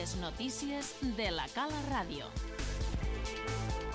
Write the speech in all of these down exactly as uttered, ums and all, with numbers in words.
Les notícies de la Cala Ràdio.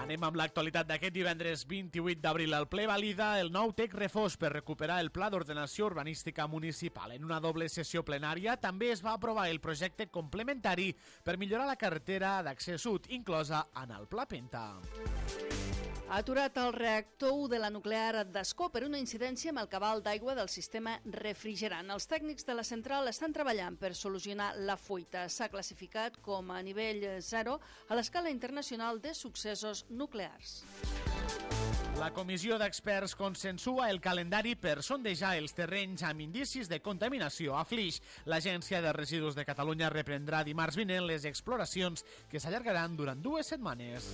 Anem amb l'actualitat d'aquest divendres vint-i-vuit d'abril. El ple valida el nou T E C Refós per recuperar el Pla d'Ordenació Urbanística Municipal. En una doble sessió plenària també es va aprovar el projecte complementari per millorar la carretera d'accés sud, inclosa en el Pla Penta. Ha aturat el reactor u de la nuclear d'Ascó per una incidència amb el cabal d'aigua del sistema refrigerant. Els tècnics de la central estan treballant per solucionar la fuita. S'ha classificat com a nivell zero a l'escala internacional de successos nuclears. La comissió d'experts consensua el calendari per sondejar els terrenys amb indicis de contaminació a Flix. L'Agència de Residus de Catalunya reprendrà dimarts vinent les exploracions que s'allargaran durant dues setmanes.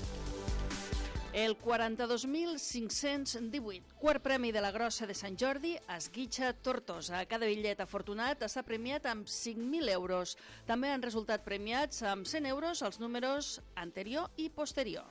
El quaranta-dos mil cinc-cents divuit, quart premi de la Grossa de Sant Jordi, Esguitxa Tortosa. Cada bitllet afortunat està premiat amb cinc mil euros. També han resultat premiats amb cent euros els números anterior i posterior.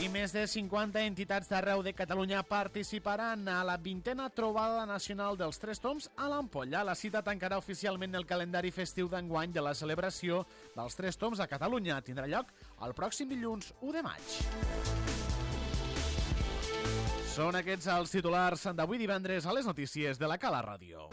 I més de cinquanta entitats d'arreu de Catalunya participaran a la vintena trobada nacional dels Tres Tombs a l'Ampolla. La cita tancarà oficialment el calendari festiu d'enguany de la celebració dels Tres Tombs a Catalunya. Tindrà lloc el pròxim dilluns u de maig. Són aquests els titulars d'avui divendres a les notícies de la Cala Ràdio.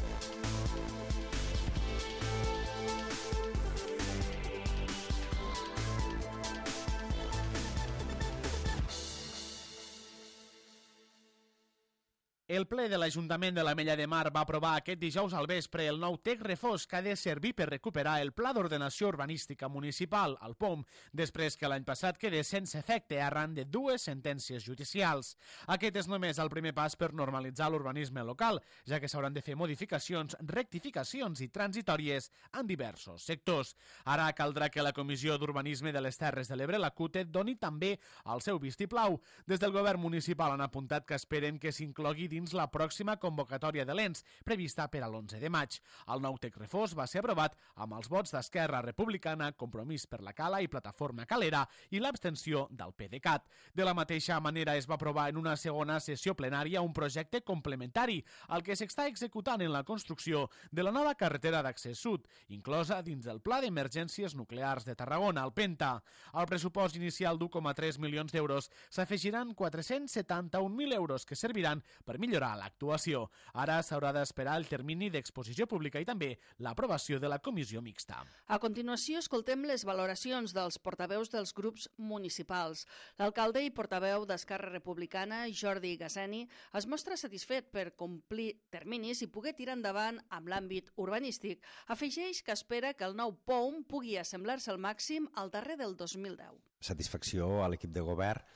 El ple de l'Ajuntament de l'Ametlla de Mar va aprovar aquest dijous al vespre el nou T E C Refós que ha de servir per recuperar el Pla d'Ordenació Urbanística Municipal, el P O M, després que l'any passat quedés sense efecte arran de dues sentències judicials. Aquest és només el primer pas per normalitzar l'urbanisme local, ja que s'hauran de fer modificacions, rectificacions i transitòries en diversos sectors. Ara caldrà que la Comissió d'Urbanisme de les Terres de l'Ebre, la C U T E, doni també el seu vistiplau. Des del govern municipal han apuntat que esperen que s'inclogui dins la pròxima convocatòria de l'E N S, prevista per a l'onze de maig. El nou T E C Refós va ser aprovat amb els vots d'Esquerra Republicana, Compromís per la Cala i Plataforma Calera i l'abstenció del PDeCAT. De la mateixa manera es va aprovar en una segona sessió plenària un projecte complementari, el que s'està executant en la construcció de la nova carretera d'accés sud, inclosa dins del Pla d'Emergències Nuclears de Tarragona, el Penta. Al pressupost inicial d'u coma tres milions d'euros s'afegiran quatre-cents setanta-un mil euros que serviran per millorar l'actuació. Ara s'haurà d'esperar el termini d'exposició pública i també l'aprovació de la comissió mixta. A continuació, escoltem les valoracions dels portaveus dels grups municipals. L'alcalde i portaveu d'Esquerra Republicana, Jordi Gasseni, es mostra satisfet per complir terminis i poder tirar endavant amb l'àmbit urbanístic. Afegeix que espera que el nou P O M pugui assemblar-se al màxim al darrer del dos mil deu. Satisfacció a l'equip de govern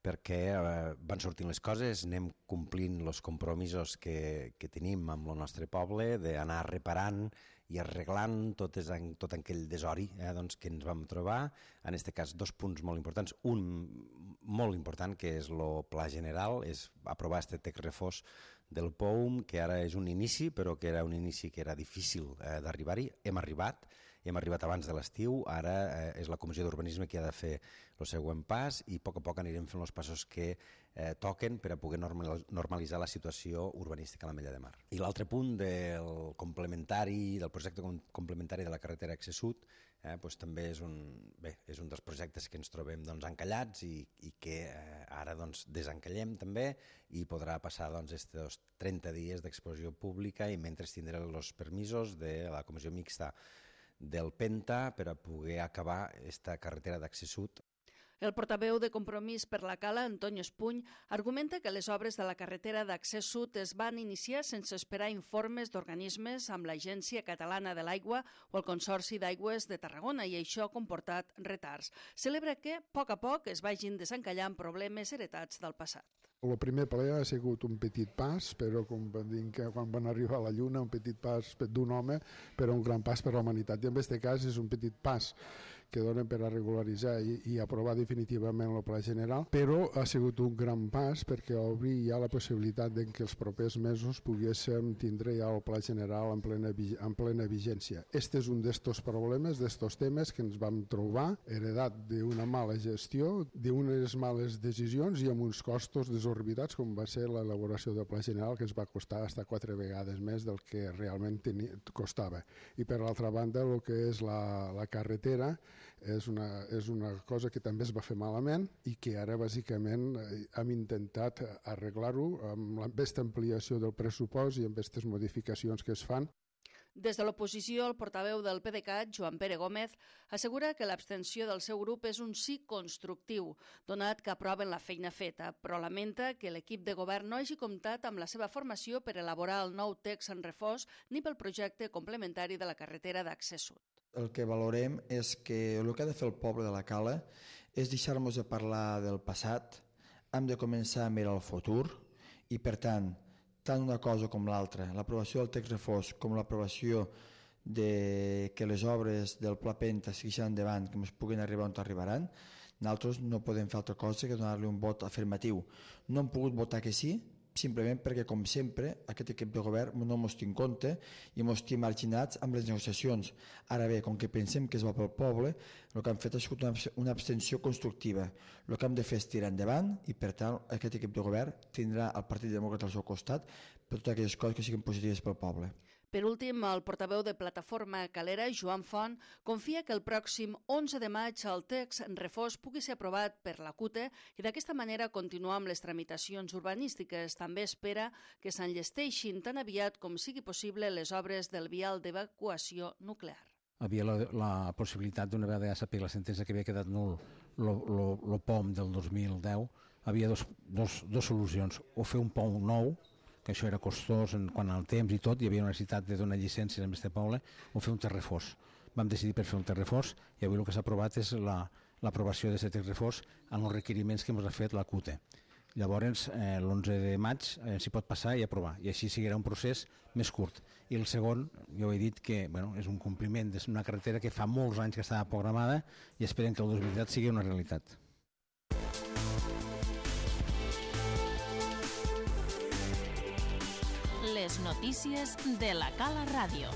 perquè eh, van sortint les coses, anem complint els compromisos que, que tenim amb el nostre poble, d'anar reparant i arreglant tot, és, tot aquell desori eh, doncs, que ens vam trobar. En aquest cas, dos punts molt importants. Un molt important, que és el pla general, és aprovar este T E C Refós del P O M, que ara és un inici, però que era un inici que era difícil eh, d'arribar-hi. Hem arribat, hem arribat abans de l'estiu, ara eh, és la Comissió d'Urbanisme que ha de fer el següent pas i a poc a poc anirem fent els passos que eh, toquen per a poder normalitzar la situació urbanística a l'Ametlla de Mar. I l'altre punt del complementari, del projecte complementari de la carretera Accés Sud, eh, doncs també és un, bé, és un dels projectes que ens trobem doncs, encallats i, i que eh, ara doncs, desencallem també i podrà passar doncs, estos trenta dies d'exposició pública i mentre tindrà els permisos de la comissió mixta del Penta per a poder acabar aquesta carretera d'accés sud. El portaveu de Compromís per la Cala, Antonio Espuny, argumenta que les obres de la carretera d'accés sud es van iniciar sense esperar informes d'organismes amb l'Agència Catalana de l'Aigua o el Consorci d'Aigües de Tarragona i això ha comportat retards. Celebra que, a poc a poc, es vagin desencallant problemes heretats del passat. El primer ple ha sigut un petit pas, però com van dir que quan van arribar a la Lluna, un petit pas d'un home, però un gran pas per a la humanitat. I en aquest cas és un petit pas que donen per a regularitzar i, i aprovar definitivament el pla general, però ha sigut un gran pas perquè obri ja la possibilitat de que els propers mesos poguéssim tindre ja el pla general en plena, en plena vigència. Este és un d'estos problemes, d'estos temes que ens vam trobar, heredat d'una mala gestió, d'unes males decisions i amb uns costos desorbitats com va ser l'elaboració del pla general, que ens va costar fins quatre vegades més del que realment tenia, costava. I per l'altra banda, el que és la, la carretera és una, és una cosa que també es va fer malament i que ara bàsicament hem intentat arreglar-ho amb aquesta ampliació del pressupost i amb aquestes modificacions que es fan. Des de l'oposició, el portaveu del PDeCAT, Joan Pere Gómez, assegura que l'abstenció del seu grup és un sí constructiu, donat que aproven la feina feta, però lamenta que l'equip de govern no hagi comptat amb la seva formació per elaborar el nou text en refós ni pel projecte complementari de la carretera d'accés sud. El que valorem és que el que ha de fer el poble de la Cala és deixar-nos de parlar del passat, hem de començar a mirar el futur i, per tant, tant una cosa com l'altra, l'aprovació del text refós com l'aprovació de que les obres del Pla Penta segueixin endavant, que ens puguin arribar on arribaran, nosaltres no podem fer altra cosa que donar-li un vot afirmatiu. No hem pogut votar que sí, simplement perquè, com sempre, aquest equip de govern no ens té en compte i ens té marginats amb les negociacions. Ara bé, com que pensem que es va pel poble, el que hem fet ha sigut una abstenció constructiva. El que hem de fer és tirar endavant i, per tant, aquest equip de govern tindrà el Partit Demòcrata al seu costat per totes aquelles coses que siguin positives pel poble. Per últim, el portaveu de Plataforma Calera, Joan Font, confia que el pròxim onze de maig el text en refós pugui ser aprovat per la C U T E i d'aquesta manera continuar amb les tramitacions urbanístiques. També espera que s'enllesteixin tan aviat com sigui possible les obres del vial d'evacuació nuclear. Havia la, la possibilitat, d'una vegada ja saber la sentència que havia quedat nul el P O M del dos mil deu, havia dos, dos, dos solucions, o fer un P O M nou, que això era costós en quant al temps i tot, hi havia una necessitat de donar llicències en aquest poble, o fer un terrefós. Vam decidir per fer un terrefós i avui el que s'ha aprovat és l'aprovació d'aquest terrefós en els requeriments que ens ha fet la C U T E. Llavors, eh, l'onze de maig eh, s'hi pot passar i aprovar, i així seguirà un procés més curt. I el segon, jo he dit que bueno, és un compliment d'una carretera que fa molts anys que estava programada i esperem que el dos mil disset sigui una realitat. Les notícies de la Cala Ràdio.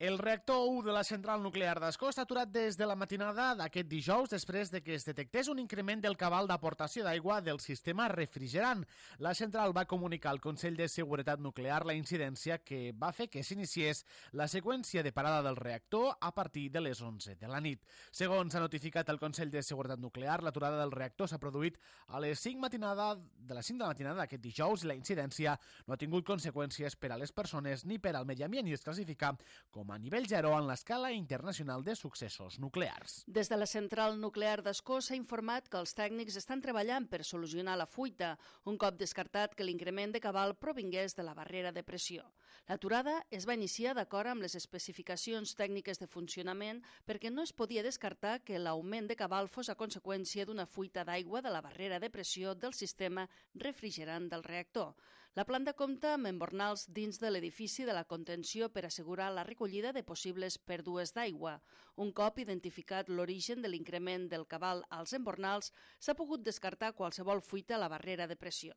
El reactor u de la central nuclear d'Ascó està aturat des de la matinada d'aquest dijous després de que es detectés un increment del cabal d'aportació d'aigua del sistema refrigerant. La central va comunicar al Consell de Seguretat Nuclear la incidència que va fer que s'iniciés la seqüència de parada del reactor a partir de les onze de la nit. Segons ha notificat el Consell de Seguretat Nuclear, l'aturada del reactor s'ha produït a les cinc matinada, de les cinc de la matinada d'aquest dijous i la incidència no ha tingut conseqüències per a les persones ni per al medi ambient i es classifica com a nivell zero en l'escala internacional de successos nuclears. Des de la central nuclear d'Ascó s'ha informat que els tècnics estan treballant per solucionar la fuita, un cop descartat que l'increment de cabal provingués de la barrera de pressió. L'aturada es va iniciar d'acord amb les especificacions tècniques de funcionament perquè no es podia descartar que l'augment de cabal fos a conseqüència d'una fuita d'aigua de la barrera de pressió del sistema refrigerant del reactor. La planta compta amb embornals dins de l'edifici de la contenció per assegurar la recollida de possibles pèrdues d'aigua. Un cop identificat l'origen de l'increment del cabal als embornals, s'ha pogut descartar qualsevol fuita a la barrera de pressió.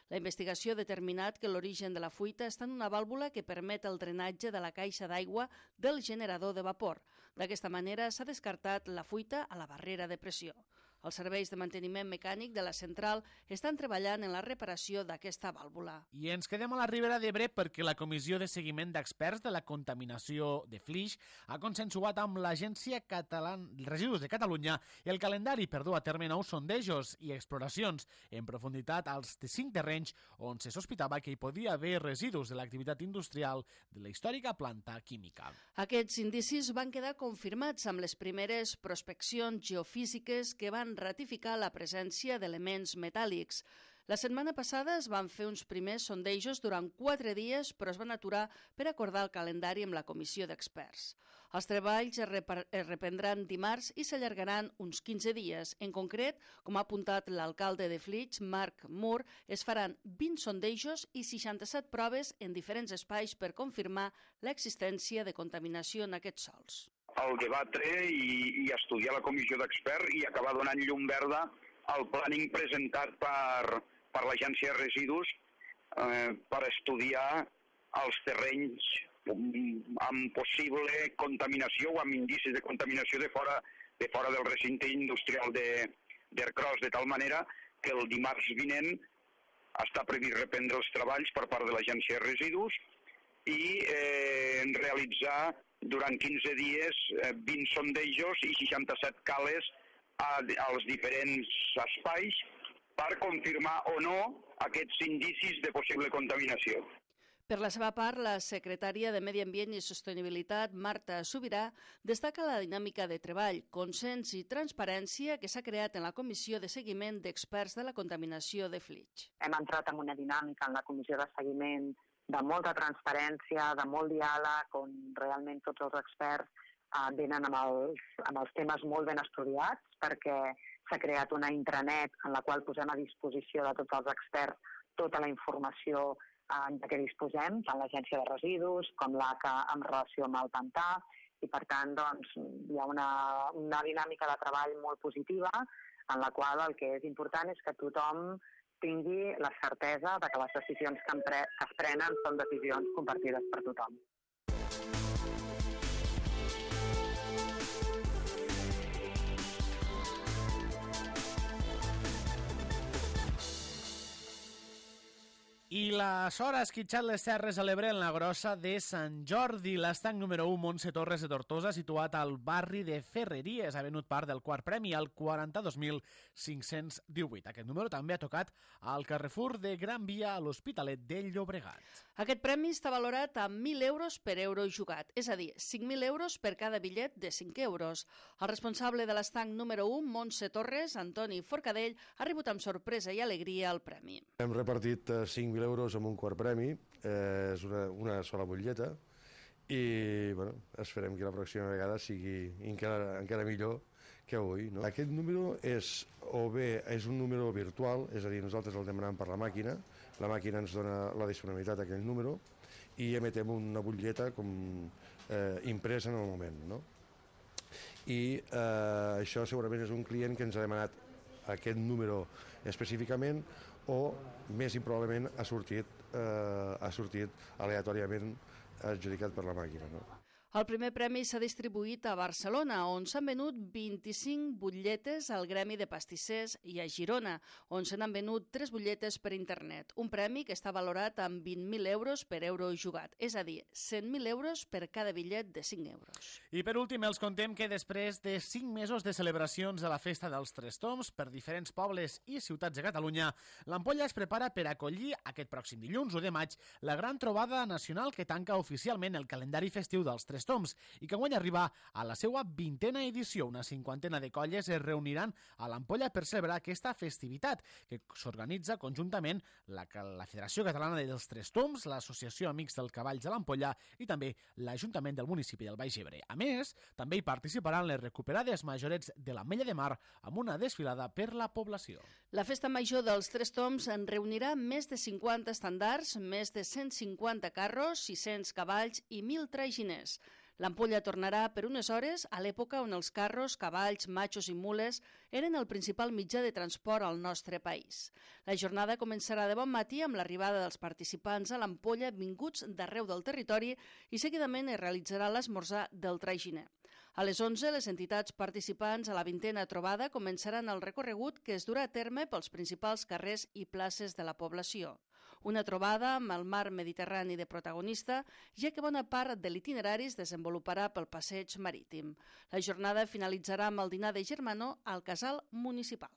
La investigació ha determinat que l'origen de la fuita està en una vàlvula que permet el drenatge de la caixa d'aigua del generador de vapor. D'aquesta manera s'ha descartat la fuita a la barrera de pressió. Els serveis de manteniment mecànic de la central estan treballant en la reparació d'aquesta vàlvula. I ens quedem a la Ribera d'Ebre perquè la Comissió de Seguiment d'Experts de la Contaminació de Flix ha consensuat amb l'Agència Catalana de Residus de Catalunya el calendari per dur a terme nous sondejos i exploracions en profunditat als cinc terrenys on se sospitava que hi podia haver residus de l'activitat industrial de la històrica planta química. Aquests indicis van quedar confirmats amb les primeres prospeccions geofísiques que van ratificar la presència d'elements metàl·lics. La setmana passada es van fer uns primers sondejos durant quatre dies, però es van aturar per acordar el calendari amb la comissió d'experts. Els treballs es, es reprendran dimarts i s'allargaran uns quinze dies. En concret, com ha apuntat l'alcalde de Flix, Marc Moore, es faran vint sondejos i seixanta-set proves en diferents espais per confirmar l'existència de contaminació en aquests sòls. El debatre i, i estudiar la comissió d'experts i acabar donant llum verda al planning presentat per, per l'Agència de Residus eh, per estudiar els terrenys amb possible contaminació o amb indicis de contaminació de fora, de fora del recinte industrial d'Ercros, de, de tal manera que el dimarts vinent està previst reprendre els treballs per part de l'Agència de Residus i eh, realitzar durant quinze dies eh, vint sondejos i seixanta-set cales a, als diferents espais per confirmar o no aquests indicis de possible contaminació. Per la seva part, la secretària de Medi Ambient i Sostenibilitat, Marta Subirà, destaca la dinàmica de treball, consens i transparència que s'ha creat en la Comissió de Seguiment d'Experts de la Contaminació de Flix. Hem entrat en una dinàmica en la Comissió de Seguiment de molta transparència, de molt diàleg, on realment tots els experts eh, venen amb els, amb els temes molt ben estudiats, perquè s'ha creat una intranet en la qual posem a disposició de tots els experts tota la informació de què disposem, tant l'Agència de Residus com l'A C A en relació amb el pantà, i per tant doncs, hi ha una, una dinàmica de treball molt positiva en la qual el que és important és que tothom tingui la certesa de que les decisions que, pre que es prenen són decisions compartides per tothom. I la Sora ha esquitxat les terres a l'Ebre en la Grossa de Sant Jordi. L'estanc número u, Montse Torres de Tortosa, situat al barri de Ferreries, ha venut part del quart premi, al quaranta-dos mil cinc-cents divuit. Aquest número també ha tocat al Carrefour de Gran Via a l'Hospitalet de Llobregat. Aquest premi està valorat a mil euros per euro jugat, és a dir, cinc mil euros per cada bitllet de cinc euros. El responsable de l'estanc número u, Montse Torres, Antoni Forcadell, ha rebut amb sorpresa i alegria el premi. Hem repartit cinc mil euros amb un quart premi, eh, és una, una sola butlleta, i bueno, esperem que la pròxima vegada sigui encara, encara millor que avui. No? Aquest número és, o bé és un número virtual, és a dir, nosaltres el demanem per la màquina, la màquina ens dona la disponibilitat d'aquell número i emetem una butlleta com, eh, impresa en el moment. No? I eh, això segurament és un client que ens ha demanat aquest número específicament o més improbablement ha sortit, eh, ha sortit aleatòriament adjudicat per la màquina. No? El primer premi s'ha distribuït a Barcelona, on s'han venut vint-i-cinc butlletes al Gremi de Pastissers, i a Girona, on se n'han venut tres butlletes per internet. Un premi que està valorat amb vint mil euros per euro jugat, és a dir, cent mil euros per cada bitllet de cinc euros. I per últim, els contem que després de cinc mesos de celebracions de la Festa dels Tres Tombs per diferents pobles i ciutats de Catalunya, l'Ampolla es prepara per acollir aquest pròxim dilluns, u de maig, la gran trobada nacional que tanca oficialment el calendari festiu dels Tres Tombs i que guany arriba a la seva vintena edició. Una cinquantena de colles es reuniran a l'Ampolla per celebrar aquesta festivitat que s'organitza conjuntament la, la Federació Catalana dels Tres Tombs, l'Associació Amics del Cavalls de l'Ampolla i també l'Ajuntament del municipi del Baix Ebre. A més, també hi participaran les recuperades majorets de l'Ametlla de Mar amb una desfilada per la població. La Festa Major dels Tres Tombs en reunirà més de cinquanta estandards, més de cent cinquanta carros, sis-cents cavalls i mil traginers. L'Ampolla tornarà per unes hores a l'època on els carros, cavalls, matxos i mules eren el principal mitjà de transport al nostre país. La jornada començarà de bon matí amb l'arribada dels participants a l'Ampolla vinguts d'arreu del territori i seguidament es realitzarà l'esmorzar del traginer. A les onze, les entitats participants a la vintena trobada començaran el recorregut que es durà a terme pels principals carrers i places de la població. Una trobada amb el mar Mediterrani de protagonista, ja que bona part de l'itinerari es desenvoluparà pel passeig marítim. La jornada finalitzarà amb el dinar de germanor al casal municipal.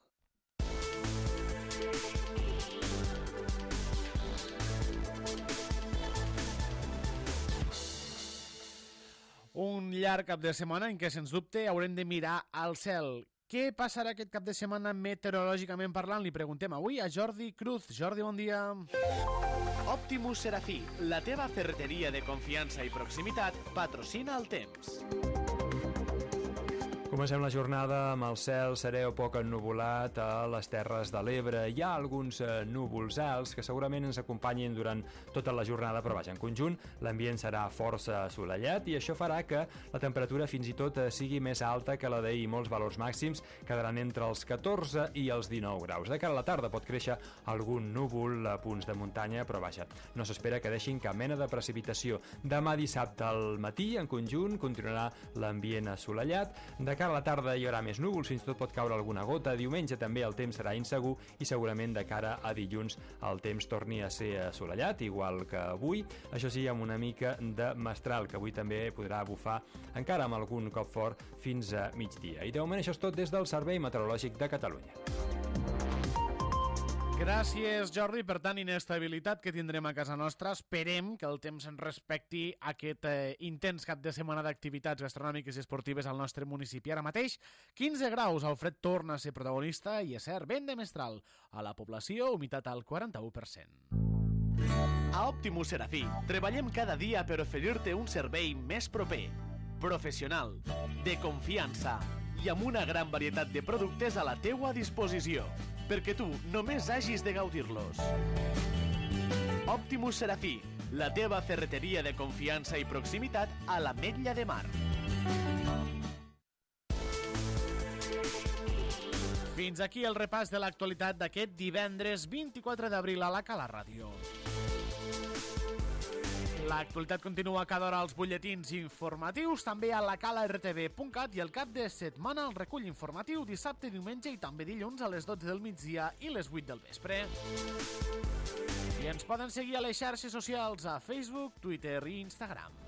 Un llarg cap de setmana en què, sens dubte, haurem de mirar al cel. Què passarà aquest cap de setmana meteorològicament parlant? Li preguntem avui a Jordi Cruz. Jordi, bon dia. Optimus Serafí, la teva ferreteria de confiança i proximitat, patrocina el temps. Comencem la jornada amb el cel serè o poc ennuvolat a les Terres de l'Ebre. Hi ha alguns eh, núvols alts que segurament ens acompanyin durant tota la jornada, però vaja, en conjunt l'ambient serà força assolellat i això farà que la temperatura fins i tot sigui més alta que la d'ahir. Molts valors màxims quedaran entre els catorze i els dinou graus. De cara a la tarda pot créixer algun núvol a punts de muntanya, però vaja, no s'espera que deixin cap mena de precipitació. Demà dissabte al matí, en conjunt, continuarà l'ambient assolellat. De cara a la tarda hi haurà més núvols, fins i tot pot caure alguna gota. Diumenge també el temps serà insegur i segurament de cara a dilluns el temps torni a ser assolellat, igual que avui. Això sí, amb una mica de mestral, que avui també podrà bufar encara amb algun cop fort fins a migdia. I de moment això és tot des del Servei Meteorològic de Catalunya. Gràcies, Jordi. Per tant, inestabilitat que tindrem a casa nostra. Esperem que el temps ens respecti aquest eh, intens cap de setmana d'activitats gastronòmiques i esportives al nostre municipi. Ara mateix, quinze graus. El fred torna a ser protagonista i, és cert, vent de mestral. A la població, humitat al quaranta-u per cent. A Optimus Serafí, treballem cada dia per oferir-te un servei més proper, professional, de confiança i amb una gran varietat de productes a la teua disposició, perquè tu només hagis de gaudir-los. Optimus Serafí, la teva ferreteria de confiança i proximitat a l'Ametlla de Mar. Fins aquí el repàs de l'actualitat d'aquest divendres vint-i-quatre d'abril a la Cala Ràdio. L'actualitat continua cada hora als butlletins informatius, també a la cala r t v punt cat i el cap de setmana el recull informatiu dissabte, diumenge i també dilluns a les dotze del migdia i les vuit del vespre. I ens poden seguir a les xarxes socials a Facebook, Twitter i Instagram.